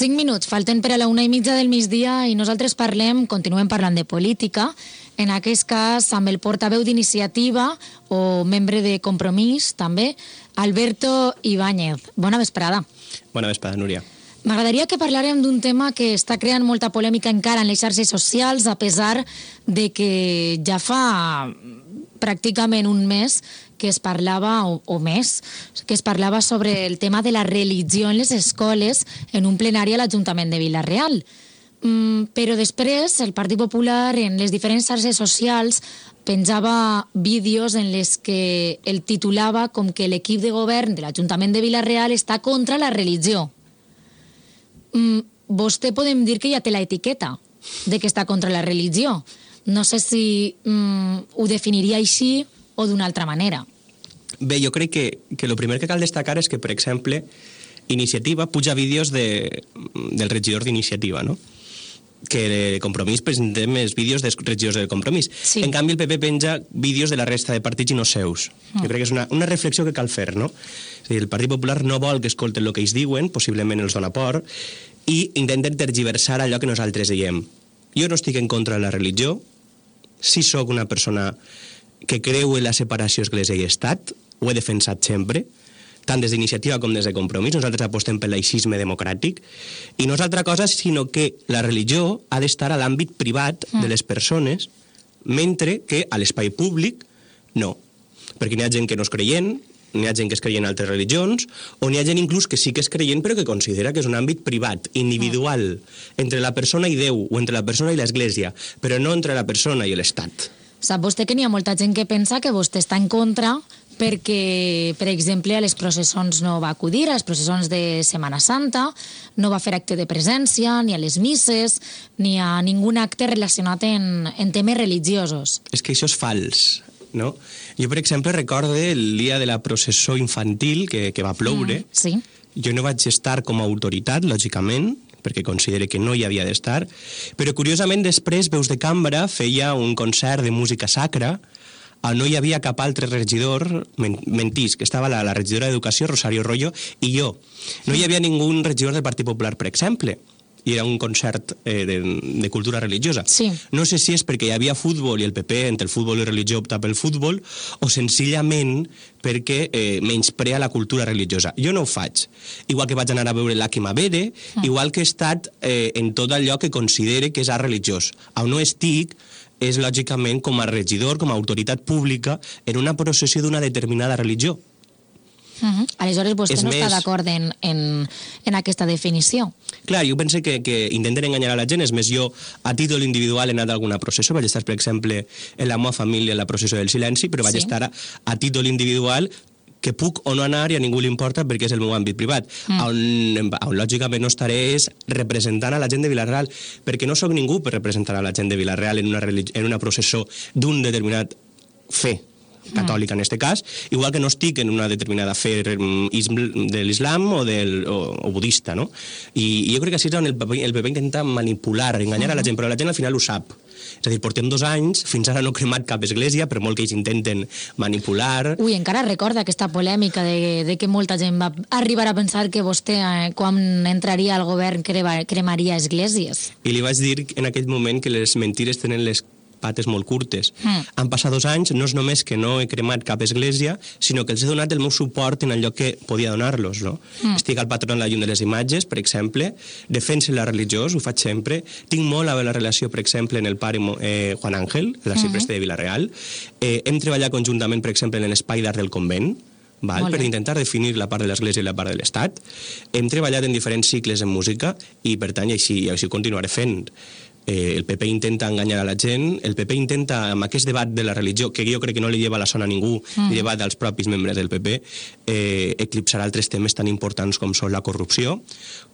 5 minuts, falten per a la 1:30 del migdia i nosaltres continuem parlant de política, en aquest cas amb el portaveu d'Iniciativa o membre de Compromís també, Alberto Ibáñez. Bona vesprada. Bona vesprada, Núria. M'agradaria que parlàrem d'un tema que està creant molta polèmica encara en les xarxes socials, a pesar de que ja fa pràcticament un mes que es parlava, o més, que es parlava sobre el tema de la religió en les escoles en un plenari a l'Ajuntament de Vila-real. Però després el Partit Popular en les diferents xarxes socials penjava vídeos en les que el titulava com que l'equip de govern de l'Ajuntament de Vila-real està contra la religió. Vostè podem dir que ja té l'etiqueta de que està contra la religió. No sé si ho definiria així o d'una altra manera. Bé, jo crec que el primer que cal destacar és que, per exemple, Iniciativa puja vídeos del regidor d'Iniciativa, no? Que Compromís presentem els vídeos dels regidors del Compromís. Sí. En canvi, el PP penja vídeos de la resta de partits i no seus. Jo crec que és una reflexió que cal fer, no? És a dir, el Partit Popular no vol que escolten el que ells diuen, possiblement els dona por, i intenten tergiversar allò que nosaltres diem. Jo no estic en contra de la religió, si sóc una persona que creu en la separació església i estat, ho he defensat sempre, tant des d'Iniciativa com des de Compromís. Nosaltres apostem pel laïcisme democràtic, i no és altra cosa sinó que la religió ha d'estar a l'àmbit privat de les persones, mentre que a l'espai públic no. Perquè n'hi ha gent que no és creient, n'hi ha gent que és creient en altres religions, o n'hi ha gent inclús que sí que és creient però que considera que és un àmbit privat, individual, entre la persona i Déu, o entre la persona i l'Església, però no entre la persona i l'Estat. Sap vostè que n'hi ha molta gent que pensa que vostè està en contra perquè, per exemple, a les processons no va acudir, a les processons de Setmana Santa, no va fer acte de presència, ni a les misses, ni a ningun acte relacionat en temes religiosos. És que això és fals, no? Jo, per exemple, recorde el dia de la processó infantil que va ploure. Sí. Jo no vaig estar com a autoritat, lògicament, perquè considere que no hi havia d'estar, però curiosament després Veus de Cambra feia un concert de música sacra, no hi havia cap altre regidor, mentís, que estava la regidora d'Educació, Rosario Royo, i jo. No hi havia ningú regidor del Partit Popular, per exemple, i era un concert de cultura religiosa. Sí. No sé si és perquè hi havia futbol i el PP, entre el futbol i religió, opta pel futbol, o senzillament perquè menysprea la cultura religiosa. Jo no ho faig. Igual que vaig anar a veure l'Aki Mavere, igual que he estat en tot allò que considere que és art religiós. On no estic és, lògicament, com a regidor, com a autoritat pública, en una processió d'una determinada religió. Aleshores, vostè no està d'acord en aquesta definició? Clar, jo penso que intenten enganyar a la gent. És més, jo a títol individual he anat a alguna processó, vaig estar, per exemple, en la meva família en la processó del silenci, però vaig estar a títol individual, que puc o no anar i a ningú li importa perquè és el meu àmbit privat. On lògicament no estaré és representant a la gent de Vila-real, perquè no sóc ningú per representar a la gent de Vila-real en una processó d'un determinat fe catòlica, en aquest cas, igual que no estic en una determinada fe de l'islam o budista, no? I jo crec que així és on el PP intenta manipular, enganyar a la gent, però la gent al final ho sap. És a dir, portem 2 anys, fins ara no he cremat cap església, per molt que ells intenten manipular. Ui, encara recorda aquesta polèmica de que molta gent va arribar a pensar que vostè, quan entraria al govern, cremaria esglésies. I li vaig dir en aquell moment que les mentires tenen les pates molt curtes. Han passat 2 anys, no és només que no he cremat cap església, sinó que els he donat el meu suport en allò que podia donar-los, no? Estic al patron de la Llum de les Imatges, per exemple, defenso la religió, ho faig sempre, tinc molt a veure la relació, per exemple, en el pare Juan Ángel, l'arxipreste de Vila-real, hem treballat conjuntament, per exemple, en l'espai d'art del convent, per intentar definir la part de l'Església i la part de l'Estat. Hem treballat en diferents cicles en música i, per tant, així ho continuaré fent. El PP intenta enganyar a la gent, el PP intenta, amb aquest debat de la religió, que jo crec que no li lleva la son a ningú, li lleva als propis membres del PP, eclipsar altres temes tan importants com són la corrupció,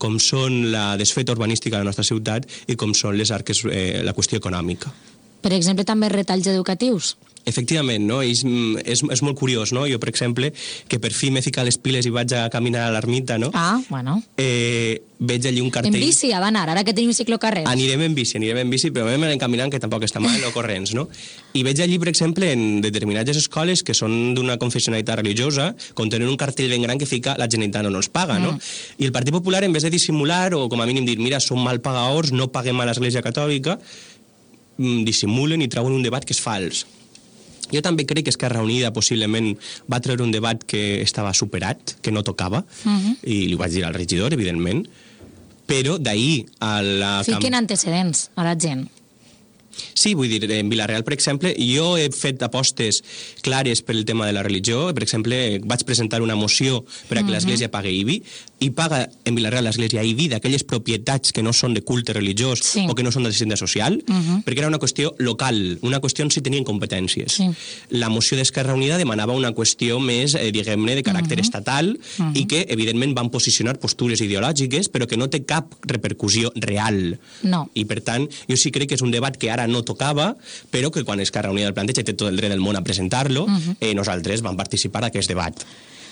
com són la desfeta urbanística de la nostra ciutat i com són la qüestió econòmica. Per exemple, també retalls educatius? Efectivament, no? És molt curiós, no? Jo, per exemple, que per fi m'he ficat les piles i vaig a caminar a l'ermita, no? Ah, bueno. Veig allí un cartell... En bici ha d'anar, ara que tenim ciclocarrers. Anirem en bici, però anem caminant, que tampoc està mal, no corrents, no? I veig allí, per exemple, en determinades escoles que són d'una confessionalitat religiosa, contenen un cartell ben gran que fica la Generalitat no ens paga, no? I el Partit Popular, en vez de dissimular, o com a mínim dir, mira, som mal pagadors, no paguem a l'Església Catòlica, dissimulen i treuen un debat que és fals. Jo també crec que Esquerra Unida possiblement va treure un debat que estava superat, que no tocava, i li ho vaig dir al regidor, evidentment, però d'ahir a la... Fiquen antecedents a la gent. Sí, vull dir, en Vila-real, per exemple, jo he fet apostes clares per el tema de la religió. Per exemple, vaig presentar una moció per a que l'Església pagui IBI, i paga en Vila-real l'Església IBI d'aquelles propietats que no són de culte religiós o que no són d'assistència social, perquè era una qüestió local, una qüestió on s'hi tenien competències. La moció d'Esquerra Unida demanava una qüestió més, diguem-ne, de caràcter estatal, i que, evidentment, van posicionar postures ideològiques, però que no té cap repercussió real. No. I, per tant, jo sí crec que és un debat que ara no tocava, però que quan Esquerra Unida el planteja té tot el dret del món a presentar-lo, nosaltres vam participar d'aquest debat.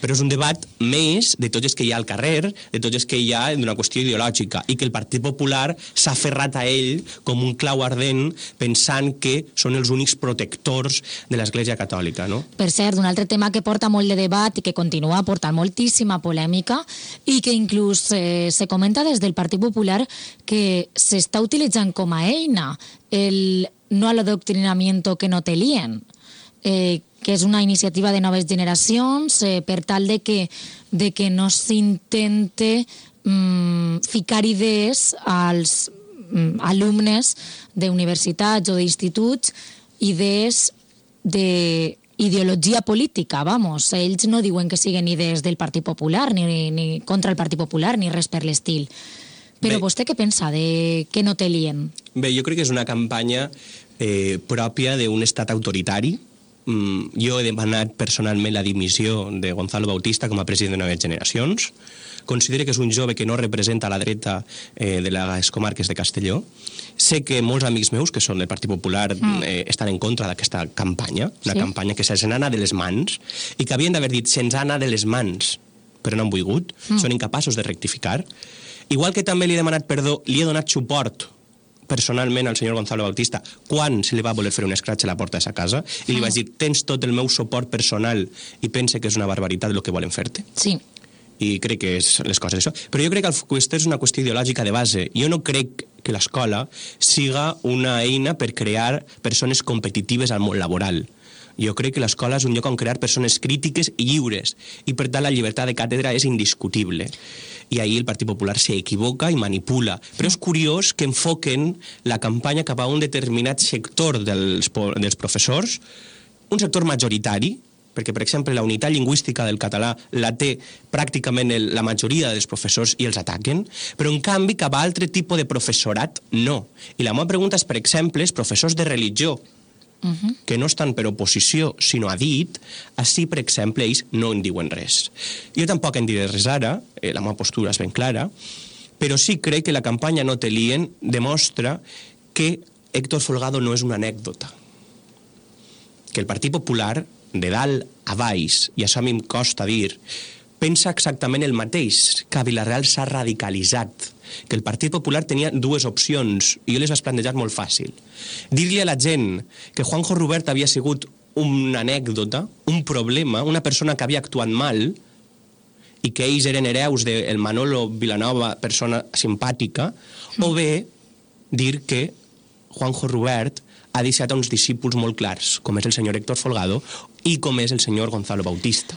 Però és un debat més de tots els que hi ha al carrer, de tots els que hi ha d'una qüestió ideològica, i que el Partit Popular s'ha aferrat a ell com un clau ardent, pensant que són els únics protectors de l'Església Catòlica, no? Per cert, un altre tema que porta molt de debat i que continua portant moltíssima polèmica, i que inclús se comenta des del Partit Popular que s'està utilitzant com a eina el no al adoctrinamiento que no te líen, que és una iniciativa de noves generacions per tal de que no s'intente ficar idees als alumnes d'universitats o d'instituts, idees d'ideologia política, vamos. Ells no diuen que siguin idees del Partit Popular, ni contra el Partit Popular, ni res per l'estil. Però vostè què pensa de que no te lien? Bé, jo crec que és una campanya pròpia d'un estat autoritari. Jo he demanat personalment la dimissió de Gonzalo Bautista com a president de Noves Generacions. Considero que és un jove que no representa la dreta de les comarques de Castelló. Sé que molts amics meus, que són del Partit Popular, estan en contra d'aquesta campanya, una campanya que se'ns n'ha anat de les mans, i que havien d'haver dit se'ns ha anat de les mans, però no han volgut, són incapaços de rectificar. Igual que també li he demanat perdó, li he donat suport personalment al senyor Gonzalo Bautista quan se li va voler fer un escratx a la porta de sa casa, i li vaig dir, tens tot el meu suport personal i pense que és una barbaritat el que volen fer-te. Sí. I crec que és les coses això. Però jo crec que aquesta és una qüestió ideològica de base. Jo no crec que l'escola siga una eina per crear persones competitives al món laboral. Jo crec que l'escola és un lloc on crear persones crítiques i lliures, i per tant la llibertat de càtedra és indiscutible. I ahir el Partit Popular s'equivoca i manipula. Però és curiós que enfoquen la campanya cap a un determinat sector dels professors, un sector majoritari, perquè, per exemple, la unitat lingüística del català la té pràcticament la majoria dels professors i els ataquen, però, en canvi, cap a altre tipus de professorat, no. I la meva pregunta és, per exemple, els professors de religió, que no estan per oposició, sinó a dit, així, per exemple, ells no en diuen res. Jo tampoc en diré res ara, la meva postura és ben clara, però sí crec que la campanya No te lien demostra que Héctor Folgado no és una anècdota. Que el Partit Popular, de dalt a baix, i això a mi em costa dir, pensa exactament el mateix, que a Vila-real s'ha radicalitzat, que el Partit Popular tenia dues opcions, i jo les vaig plantejar molt fàcil. Dir-li a la gent que Juanjo Rubert havia sigut una anècdota, un problema, una persona que havia actuat mal, i que ells eren hereus del Manolo Vilanova, persona simpàtica, o bé dir que Juanjo Rubert ha deixat uns discípuls molt clars, com és el senyor Héctor Folgado i com és el senyor Gonzalo Bautista.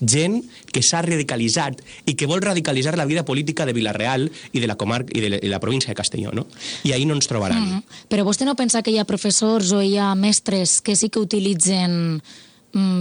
Gent que s'ha radicalitzat i que vol radicalitzar la vida política de Vila-real i de la comarca i de la província de Castelló, no? I ahí no ens trobaran. Però vostè no pensa que hi ha professors o hi ha mestres que sí que utilitzen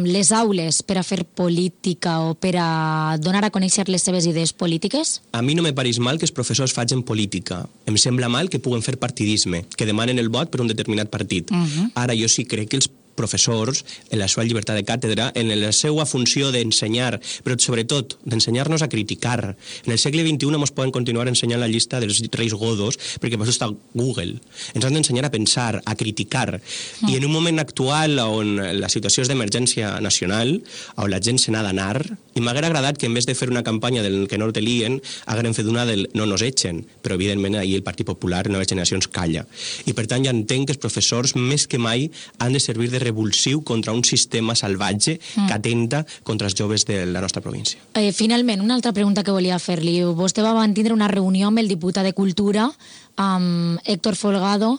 les aules per a fer política o per a donar a conèixer les seves idees polítiques? A mi no me pareix mal que els professors facin política. Em sembla mal que puguen fer partidisme, que demanen el vot per un determinat partit. Ara jo sí crec que els professors, en la seva llibertat de càtedra, en la seva funció d'ensenyar, però sobretot d'ensenyar-nos a criticar. En el segle XXI ens poden continuar ensenyant la llista dels reis godos, perquè per això està Google. Ens han d'ensenyar a pensar, a criticar. I en un moment actual on la situació és d'emergència nacional, on la gent se n'ha d'anar, i m'haguera agradat que en vez de fer una campanya del que no te lien, hagueren fet una del no nos echen, però evidentment ahir el Partit Popular, Noves Generacions, calla. I per tant ja entenc que els professors més que mai han de servir de revulsiu contra un sistema salvatge que atenta contra els joves de la nostra província. Finalment, una altra pregunta que volia fer-li. Vostè va tindre una reunió amb el diputat de Cultura, amb Héctor Folgado,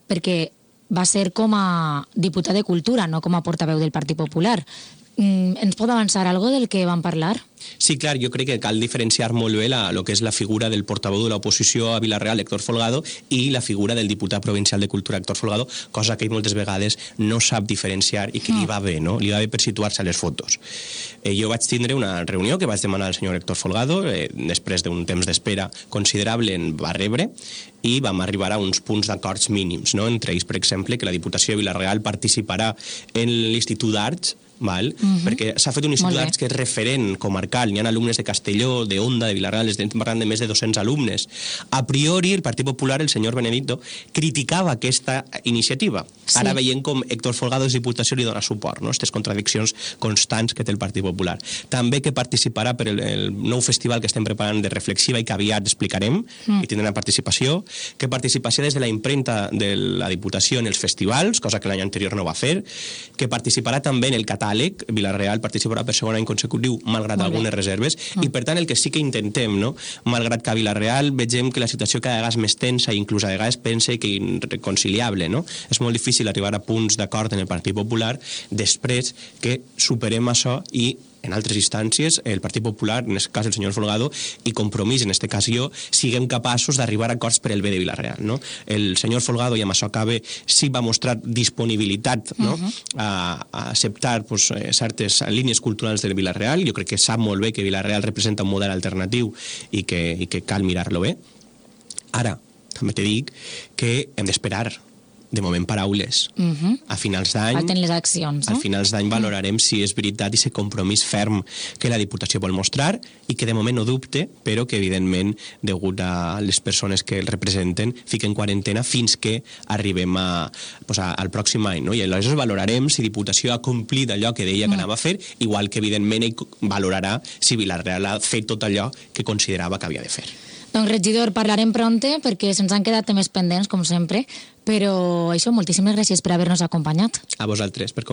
perquè va ser com a diputat de Cultura, no com a portaveu del Partit Popular. Ens pot avançar algo del que van parlar? Sí, clar, jo crec que cal diferenciar molt bé lo que és la figura del portaveu de l'oposició a Vila-real, Héctor Folgado, i la figura del diputat provincial de Cultura, Héctor Folgado, cosa que ell moltes vegades no sap diferenciar i que li va bé, no? Li va bé per situar-se a les fotos. Jo vaig tindre una reunió que vaig demanar al senyor Héctor Folgado, després d'un temps d'espera considerable en va rebre, i vam arribar a uns punts d'acords mínims, no? Entre ells, per exemple, que la Diputació de Vila-real participarà en l'Institut d'Arts, perquè s'ha fet un institut d'arts que és referent comarcal, hi ha alumnes de Castelló, de Onda, de Vila-real, estem parlant de més de 200 alumnes. A priori, el Partit Popular, el senyor Benedicto, criticava aquesta iniciativa. Ara veiem com Héctor Folgado de Diputació li dona suport, no? Aquestes contradiccions constants que té el Partit Popular. També que participarà per el nou festival que estem preparant de Reflexiva i que aviat explicarem, i tindrà participació, que participació des de la impremta de la Diputació en els festivals, cosa que l'any anterior no va fer, que participarà també en el catàleg, Vila-real participarà per segon any consecutiu, malgrat algunes reserves, i per tant el que sí que intentem, no? Malgrat que a Vila-real vegem que la situació cada vegada és més tensa i inclús a vegades pense que irreconciliable, no? És molt difícil arribar a punts d'acord en el Partit Popular després que superem això i en altres instàncies, el Partit Popular, en aquest cas el senyor Folgado, i Compromís, en aquest cas jo, siguem capaços d'arribar a acords per el bé de Vila-real, no? El senyor Folgado, i amb això acabe, sí va mostrar disponibilitat, no? A acceptar certes línies culturals de Vila-real. Jo crec que sap molt bé que Vila-real representa un model alternatiu i que cal mirar-lo bé. Ara, també te dic que hem d'esperar. De moment, paraules. A finals d'any... Falten les accions, no? A finals d'any valorarem si és veritat i si compromís ferm que la Diputació vol mostrar i que de moment no dubte, però que evidentment, degut a les persones que el representen, fiquen quarantena fins que arribem al pròxim any, no? I aleshores valorarem si Diputació ha complit allò que deia que anava a fer, igual que evidentment ell valorarà si Vila-real ha fet tot allò que considerava que havia de fer. Doncs, regidor, parlarem pronte perquè se'ns han quedat temes pendents, com sempre, però això, moltíssimes gràcies per haver-nos acompanyat. A vosaltres, per